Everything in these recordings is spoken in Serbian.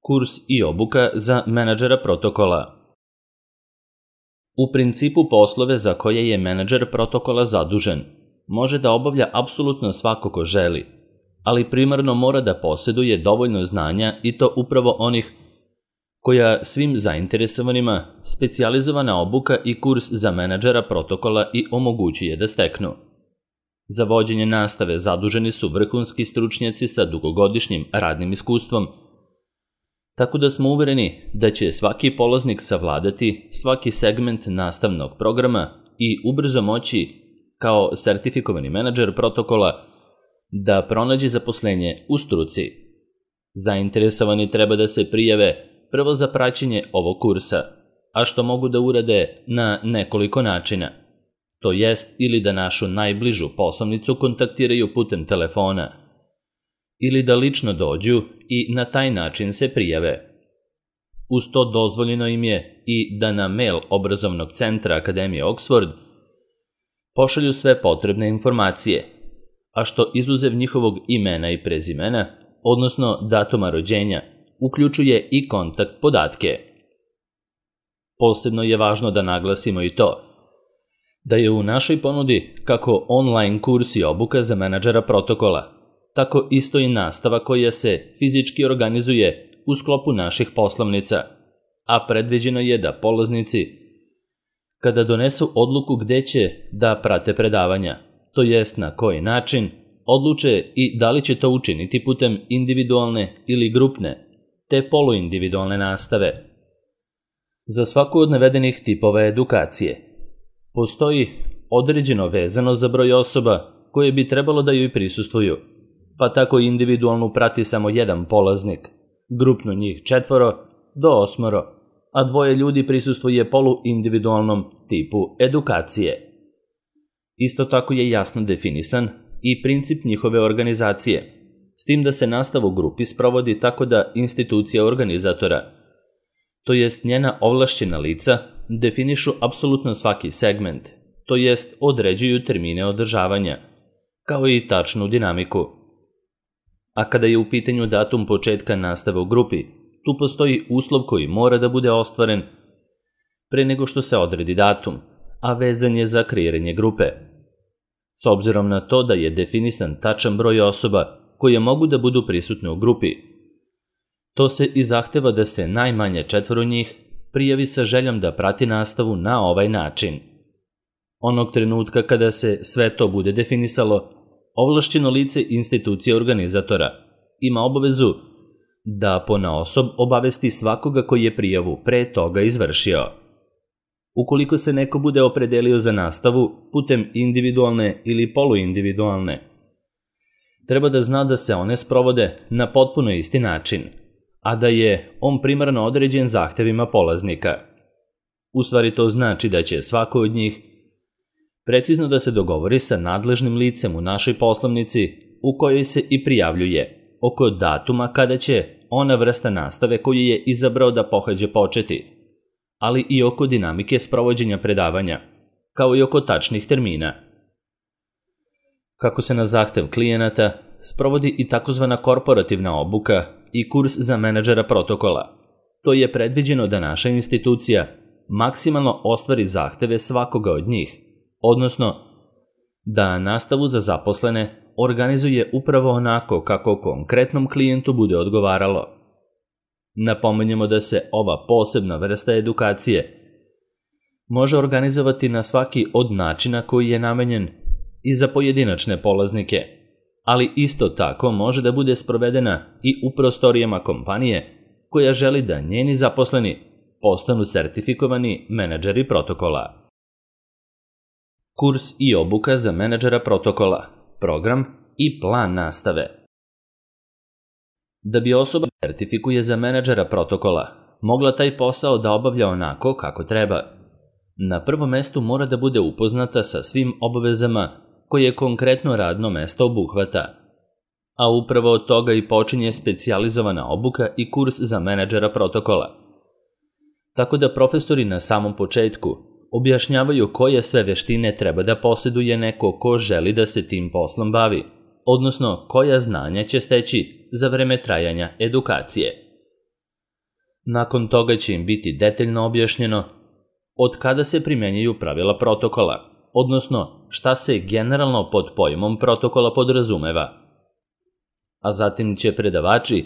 Kurs i obuka za menadžera protokola. U principu poslove za koje je menadžer protokola zadužen može da obavlja apsolutno svako ko želi, ali primarno mora da posjeduje dovoljno znanja i to upravo onih koja svim zainteresovanima specijalizovana obuka i kurs za menadžera protokola i omogućuje da steknu. Za vođenje nastave zaduženi su vrhunski stručnjaci sa dugogodišnjim radnim iskustvom, tako da smo uvereni da će svaki polaznik savladati svaki segment nastavnog programa i ubrzo moći, kao sertifikovani menadžer protokola, da pronađe zaposlenje u struci. Zainteresovani treba da se prijave prvo za praćenje ovog kursa, a što mogu da urade na nekoliko načina. To jest ili da našu najbližu poslovnicu kontaktiraju putem telefona, ili da lično dođu i na taj način se prijave. Uz to dozvoljeno im je i da na mail obrazovnog centra Akademije Oxford pošalju sve potrebne informacije, a što izuzev njihovog imena i prezimena, odnosno datuma rođenja, uključuje i kontakt podatke. Posebno je važno da naglasimo i to da je u našoj ponudi kako online kurs i obuka za menadžera protokola, tako isto i nastava koja se fizički organizuje u sklopu naših poslovnica, a predviđeno je da polaznici, kada donesu odluku gde će da prate predavanja, to jest na koji način, odluče i da li će to učiniti putem individualne ili grupne, te poluindividualne nastave. Za svaku od navedenih tipova edukacije postoji određeno vezano za broj osoba koje bi trebalo da joj prisustvuju, pa tako individualnu prati samo jedan polaznik, grupno njih 4 do 8, a 2 ljudi prisustvuje poluindividualnom tipu edukacije. Isto tako je jasno definisan i princip njihove organizacije, s tim da se nastava u grupi sprovodi tako da institucija organizatora, to jest njena ovlašćena lica, definišu apsolutno svaki segment, to jest određuju termine održavanja, kao i tačnu dinamiku. A kada je u pitanju datum početka nastave u grupi, tu postoji uslov koji mora da bude ostvaren pre nego što se odredi datum, a vezan je za kreiranje grupe. S obzirom na to da je definisan tačan broj osoba koje mogu da budu prisutne u grupi, to se i zahteva da se najmanje 4 njih prijavi sa željom da prati nastavu na ovaj način. Onog trenutka kada se sve to bude definisalo, ovlašćeno lice institucije organizatora ima obavezu da ponaosob obavesti svakoga koji je prijavu pre toga izvršio. Ukoliko se neko bude opredelio za nastavu putem individualne ili poluindividualne, treba da zna da se one sprovode na potpuno isti način, a da je on primarno određen zahtevima polaznika. U stvari to znači da će svako od njih precizno da se dogovori sa nadležnim licem u našoj poslovnici u kojoj se i prijavljuje oko datuma kada će ona vrsta nastave koju je izabrao da pohađa početi, ali i oko dinamike sprovođenja predavanja, kao i oko tačnih termina. Kako se na zahtev klijenata sprovodi i takozvana korporativna obuka i kurs za menadžera protokola, to je predviđeno da naša institucija maksimalno ostvari zahteve svakoga od njih, odnosno da nastavu za zaposlene organizuje upravo onako kako konkretnom klijentu bude odgovaralo. Napominjemo da se ova posebna vrsta edukacije može organizovati na svaki od načina koji je namenjen i za pojedinačne polaznike, ali isto tako može da bude sprovedena i u prostorijama kompanije koja želi da njeni zaposleni postanu sertifikovani menadžeri protokola. Kurs i obuka za menadžera protokola, program i plan nastave. Da bi osoba sertifikuje za menadžera protokola mogla taj posao da obavlja onako kako treba, na prvom mestu mora da bude upoznata sa svim obavezama koje konkretno radno mesto obuhvata, a upravo od toga i počinje specijalizovana obuka i kurs za menadžera protokola. Tako da profesori na samom početku objašnjavaju koje sve veštine treba da posjeduje neko ko želi da se tim poslom bavi, odnosno koja znanja će steći za vreme trajanja edukacije. Nakon toga će im biti detaljno objašnjeno od kada se primenjuju pravila protokola, odnosno šta se generalno pod pojmom protokola podrazumeva. A zatim će predavači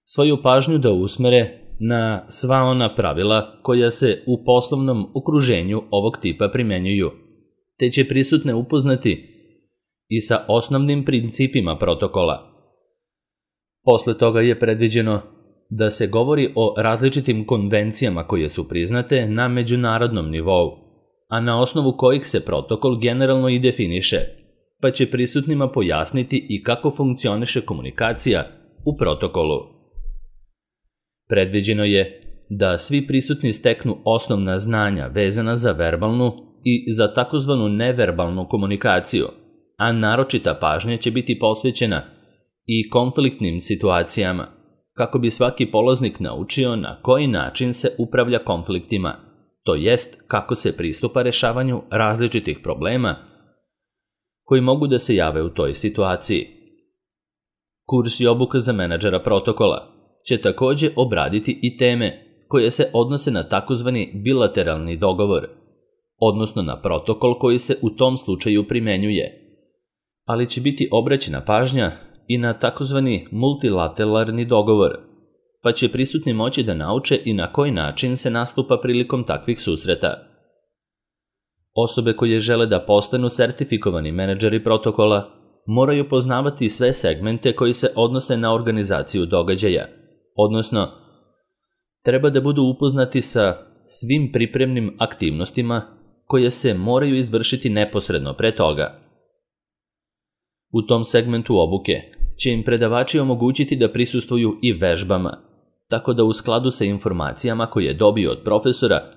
svoju pažnju da usmere na sva ona pravila koja se u poslovnom okruženju ovog tipa primenjuju, te će prisutne upoznati i sa osnovnim principima protokola. Posle toga je predviđeno da se govori o različitim konvencijama koje su priznate na međunarodnom nivou, a na osnovu kojih se protokol generalno i definiše, pa će prisutnima pojasniti i kako funkcioniše komunikacija u protokolu. Predviđeno je da svi prisutni steknu osnovna znanja vezana za verbalnu i za takozvanu neverbalnu komunikaciju, a naročita pažnja će biti posvećena i konfliktnim situacijama, kako bi svaki polaznik naučio na koji način se upravlja konfliktima, to jest kako se pristupa rešavanju različitih problema koji mogu da se jave u toj situaciji. Kurs i obuka za menadžera protokola će takođe obraditi i teme koje se odnose na takozvani bilateralni dogovor, odnosno na protokol koji se u tom slučaju primenjuje, ali će biti obraćena pažnja i na takozvani multilateralni dogovor, pa će prisutni moći da nauče i na koji način se nastupa prilikom takvih susreta. Osobe koje žele da postanu sertifikovani menadžeri protokola moraju poznavati sve segmente koji se odnose na organizaciju događaja, odnosno treba da budu upoznati sa svim pripremnim aktivnostima koje se moraju izvršiti neposredno pre toga. U tom segmentu obuke će im predavači omogućiti da prisustvuju i vežbama, tako da u skladu sa informacijama koje dobiju od profesora,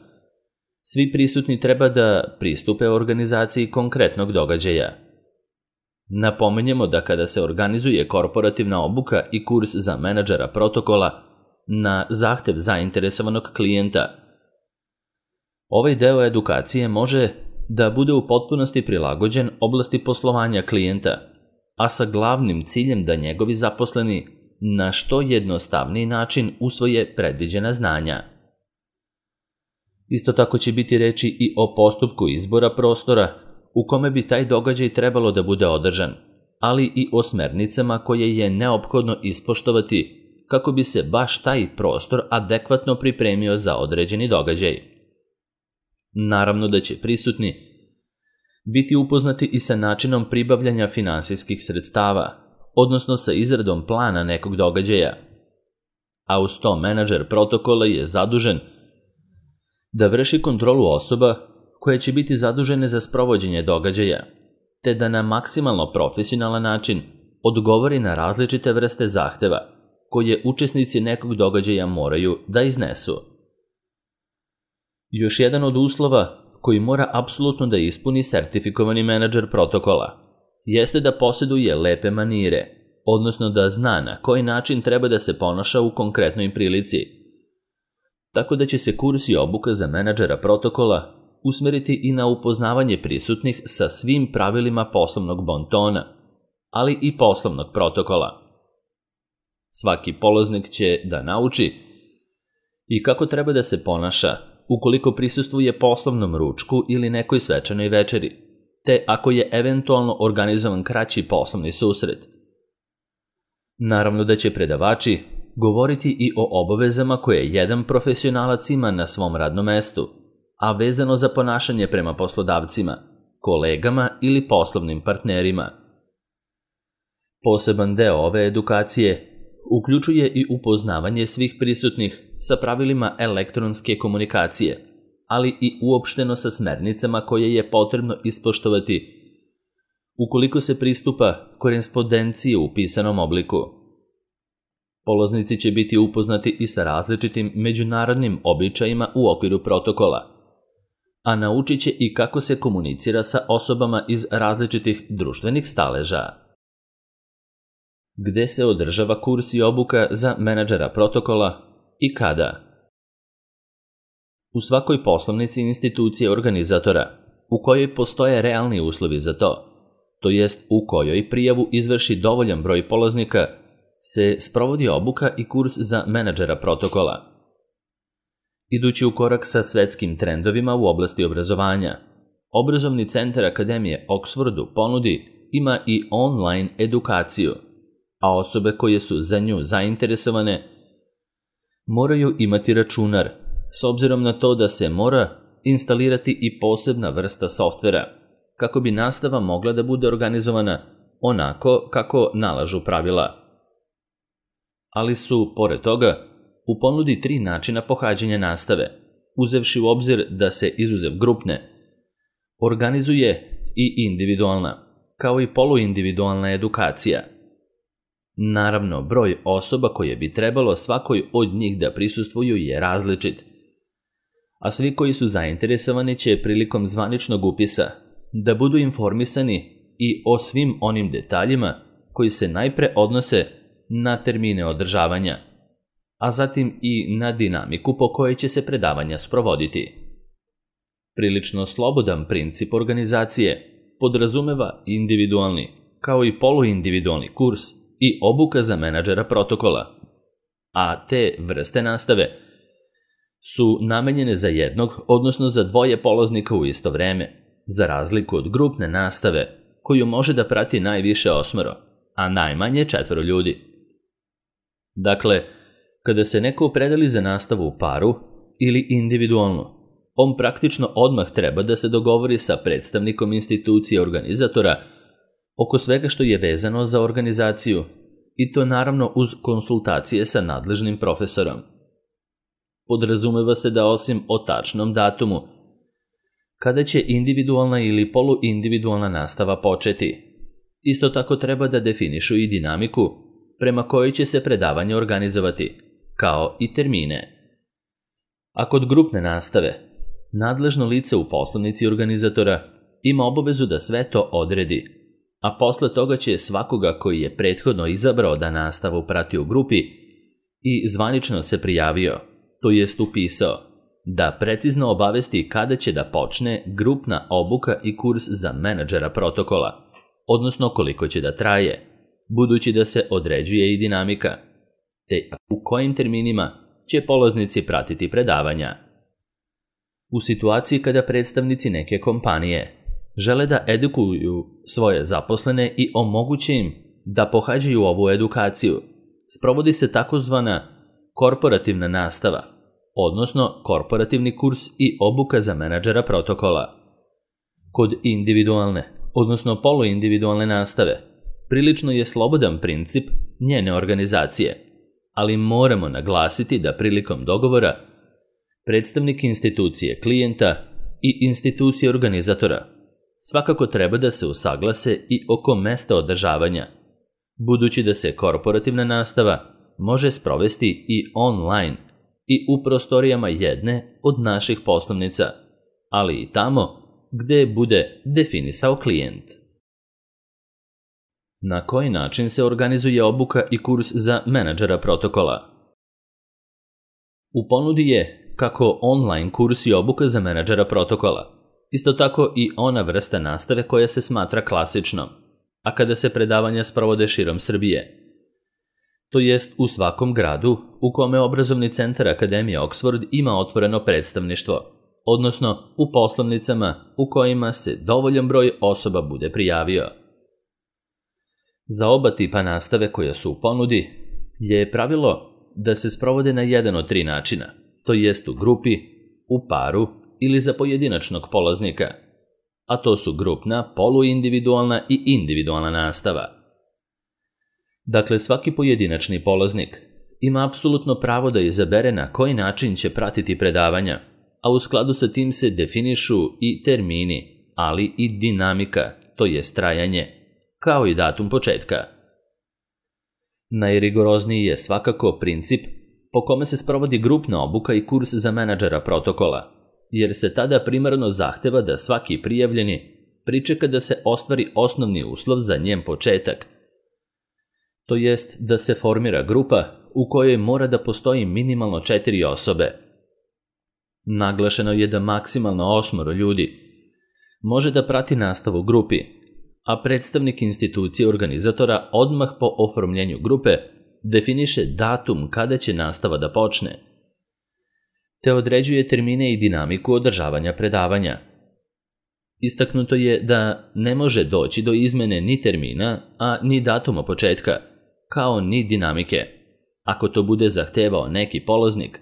svi prisutni treba da pristupe organizaciji konkretnog događaja. Napomenjemo da kada se organizuje korporativna obuka i kurs za menadžera protokola na zahtev zainteresovanog klijenta, ovaj deo edukacije može da bude u potpunosti prilagođen oblasti poslovanja klijenta, a sa glavnim ciljem da njegovi zaposleni na što jednostavniji način usvoje predviđena znanja. Isto tako će biti reči i o postupku izbora prostora u kome bi taj događaj trebalo da bude održan, ali i o smernicama koje je neophodno ispoštovati kako bi se baš taj prostor adekvatno pripremio za određeni događaj. Naravno da će prisutni biti upoznati i sa načinom pribavljanja finansijskih sredstava, odnosno sa izradom plana nekog događaja, a uz to menadžer protokola je zadužen da vrši kontrolu osoba koje će biti zadužene za sprovođenje događaja, te da na maksimalno profesionalan način odgovori na različite vrste zahteva koje učesnici nekog događaja moraju da iznesu. Još jedan od uslova koji mora apsolutno da ispuni sertifikovani menadžer protokola jeste da posjeduje lepe manire, odnosno da zna na koji način treba da se ponaša u konkretnoj prilici. Tako da će se kurs i obuka za menadžera protokola usmeriti i na upoznavanje prisutnih sa svim pravilima poslovnog bontona, ali i poslovnog protokola. Svaki polaznik će da nauči i kako treba da se ponaša ukoliko prisustvuje poslovnom ručku ili nekoj svečanoj večeri, te ako je eventualno organizovan kraći poslovni susret. Naravno da će predavači govoriti i o obavezama koje jedan profesionalac ima na svom radnom mestu, a vezano za ponašanje prema poslodavcima, kolegama ili poslovnim partnerima. Poseban deo ove edukacije uključuje i upoznavanje svih prisutnih sa pravilima elektronske komunikacije, ali i uopšteno sa smernicama koje je potrebno ispoštovati ukoliko se pristupa korespondenciji u pisanom obliku. Polaznici će biti upoznati i sa različitim međunarodnim običajima u okviru protokola, a naučit će i kako se komunicira sa osobama iz različitih društvenih staleža. Gde se održava kurs i obuka za menadžera protokola i kada? U svakoj poslovnici institucije organizatora, u kojoj postoje realni uslovi za to jest u kojoj prijavu izvrši dovoljan broj polaznika, se sprovodi obuka i kurs za menadžera protokola, Idući u korak sa svetskim trendovima u oblasti obrazovanja, Obrazovni centar Akademije Oxfordu ponudi ima i online edukaciju, a osobe koje su za nju zainteresovane moraju imati računar, s obzirom na to da se mora instalirati i posebna vrsta softvera, kako bi nastava mogla da bude organizovana onako kako nalažu pravila. Ali su, pored toga, u ponudi 3 načina pohađanja nastave, uzevši u obzir da se izuzev grupne organizuje i individualna, kao i poluindividualna edukacija. Naravno, broj osoba koje bi trebalo svakoj od njih da prisustvuju je različit, a svi koji su zainteresovani će prilikom zvaničnog upisa da budu informisani i o svim onim detaljima koji se najpre odnose na termine održavanja, a zatim i na dinamiku po kojoj će se predavanja sprovoditi. Prilično slobodan princip organizacije podrazumeva individualni, kao i poluindividualni kurs i obuka za menadžera protokola, a te vrste nastave su namenjene za jednog, odnosno za 2 polaznika u isto vreme, za razliku od grupne nastave koju može da prati najviše 8, a najmanje 4 ljudi. Dakle, kada se neko opredeli za nastavu u paru ili individualno, on praktično odmah treba da se dogovori sa predstavnikom institucije organizatora oko svega što je vezano za organizaciju, i to naravno uz konsultacije sa nadležnim profesorom. Podrazumeva se da osim o tačnom datumu, kada će individualna ili poluindividualna nastava početi, isto tako treba da definišu i dinamiku prema kojoj će se predavanje organizovati, kao i termine. A kod grupne nastave, nadležno lice u poslovnici organizatora ima obavezu da sve to odredi, a posle toga će svakoga koji je prethodno izabrao da nastavu prati u grupi i zvanično se prijavio, to jest upisao, da precizno obavesti kada će da počne grupna obuka i kurs za menadžera protokola, odnosno koliko će da traje, budući da se određuje i dinamika, te u kojim terminima će polaznici pratiti predavanja. U situaciji kada predstavnici neke kompanije žele da edukuju svoje zaposlene i omoguće im da pohađaju ovu edukaciju, sprovodi se takozvana korporativna nastava, odnosno korporativni kurs i obuka za menadžera protokola. Kod individualne, odnosno poluindividualne nastave, prilično je slobodan princip njene organizacije, ali moramo naglasiti da prilikom dogovora predstavnik institucije klijenta i institucije organizatora svakako treba da se usaglase i oko mesta održavanja, budući da se korporativna nastava može sprovesti i online i u prostorijama jedne od naših poslovnica, ali i tamo gde bude definisao klijent. Na koji način se organizuje obuka i kurs za menadžera protokola? U ponudi je kako online kurs i obuka za menadžera protokola, isto tako i ona vrsta nastave koja se smatra klasičnom, a kada se predavanja sprovode širom Srbije, to jest u svakom gradu u kome Obrazovni centar Akademije Oxford ima otvoreno predstavništvo, odnosno u poslovnicama u kojima se dovoljan broj osoba bude prijavio. Za oba tipa nastave koja su u ponudi je pravilo da se sprovode na jedan od 3 načina, to jest u grupi, u paru ili za pojedinačnog polaznika, a to su grupna, poluindividualna i individualna nastava. Dakle, svaki pojedinačni polaznik ima apsolutno pravo da izabere na koji način će pratiti predavanja, a u skladu sa tim se definišu i termini, ali i dinamika, to jest trajanje, kao i datum početka. Najrigorozniji je svakako princip po kome se sprovodi grupna obuka i kurs za menadžera protokola, jer se tada primarno zahteva da svaki prijavljeni pričeka da se ostvari osnovni uslov za njen početak, to jest da se formira grupa u kojoj mora da postoji minimalno 4 osobe. Naglašeno je da maksimalno 8 ljudi može da prati nastavu u grupi, a predstavnik institucije organizatora odmah po oformljenju grupe definiše datum kada će nastava da počne. te određuje termine i dinamiku održavanja predavanja. Istaknuto je da ne može doći do izmene ni termina, a ni datuma početka, kao ni dinamike, ako to bude zahtevao neki polaznik.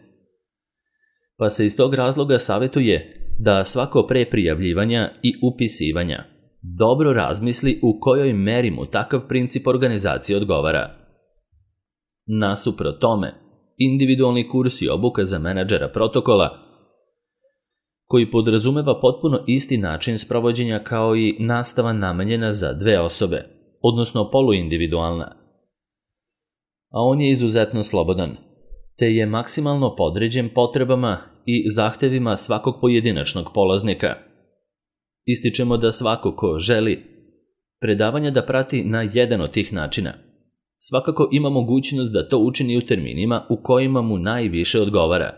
Pa se iz tog razloga savjetuje da svako pre prijavljivanja i upisivanja dobro razmisli u kojoj meri mu takav princip organizacije odgovara. Nasuprot tome, individualni kurs i obuka za menadžera protokola, koji podrazumeva potpuno isti način sprovođenja kao i nastava namenjena za 2 osobe, odnosno poluindividualna. A on je izuzetno slobodan, te je maksimalno podređen potrebama i zahtevima svakog pojedinačnog polaznika. Ističemo da svako ko želi predavanja da prati na jedan od tih načina, svakako ima mogućnost da to učini u terminima u kojima mu najviše odgovara,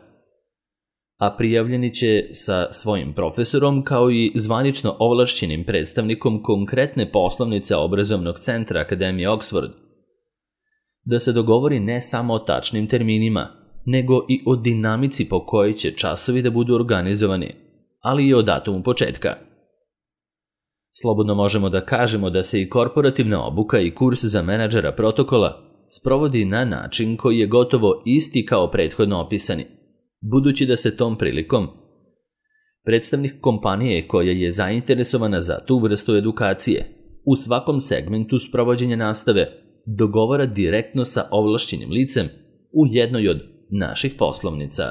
a prijavljeni će sa svojim profesorom kao i zvanično ovlašćenim predstavnikom konkretne poslovnice obrazovnog centra Akademije Oxford, da se dogovori ne samo o tačnim terminima, nego i o dinamici po kojoj će časovi da budu organizovani, ali i o datumu početka. Slobodno možemo da kažemo da se i korporativna obuka i kurs za menadžera protokola sprovodi na način koji je gotovo isti kao prethodno opisani, budući da se tom prilikom predstavnik kompanije koja je zainteresovana za tu vrstu edukacije u svakom segmentu sprovođenja nastave dogovara direktno sa ovlašćenim licem u jednoj od naših poslovnica.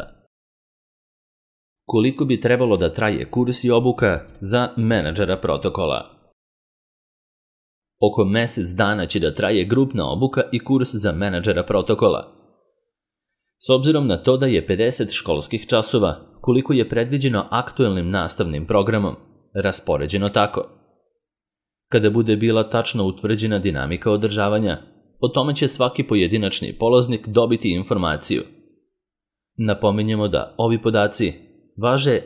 Koliko bi trebalo da traje kurs i obuka za menadžera protokola? Oko mesec dana će da traje grupna obuka i kurs za menadžera protokola. S obzirom na to da je 50 školskih časova, koliko je predviđeno aktuelnim nastavnim programom, raspoređeno tako. Kada bude bila tačno utvrđena dinamika održavanja, o tome će svaki pojedinačni polaznik dobiti informaciju. Napominjemo da ovi podaci važe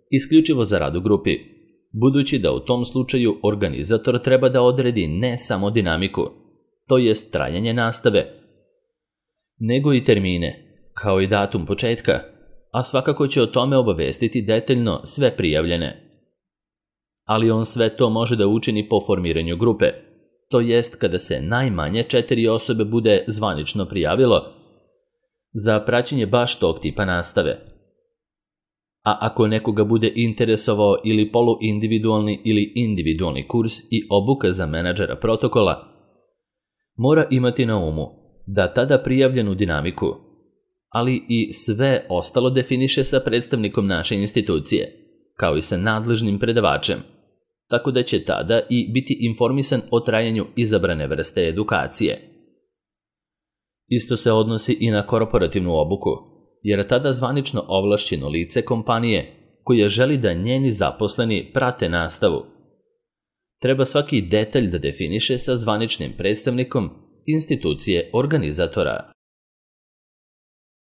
isključivo za rad u grupi, budući da u tom slučaju organizator treba da odredi ne samo dinamiku, to jest trajanje nastave, nego i termine, kao i datum početka, a svakako će o tome obavestiti detaljno sve prijavljene. Ali on sve to može da učini po formiranju grupe, to jest kada se najmanje 4 osobe bude zvanično prijavilo za praćenje baš tog tipa nastave. A ako nekoga bude interesovao ili poluindividualni ili individualni kurs i obuka za menadžera protokola, mora imati na umu da tada prijavljenu dinamiku, ali i sve ostalo definiše sa predstavnikom naše institucije, kao i sa nadležnim predavačem, tako da će tada i biti informisan o trajanju izabrane vrste edukacije. Isto se odnosi i na korporativnu obuku, jer tada zvanično ovlašćeno lice kompanije koje želi da njeni zaposleni prate nastavu treba svaki detalj da definiše sa zvaničnim predstavnikom institucije organizatora.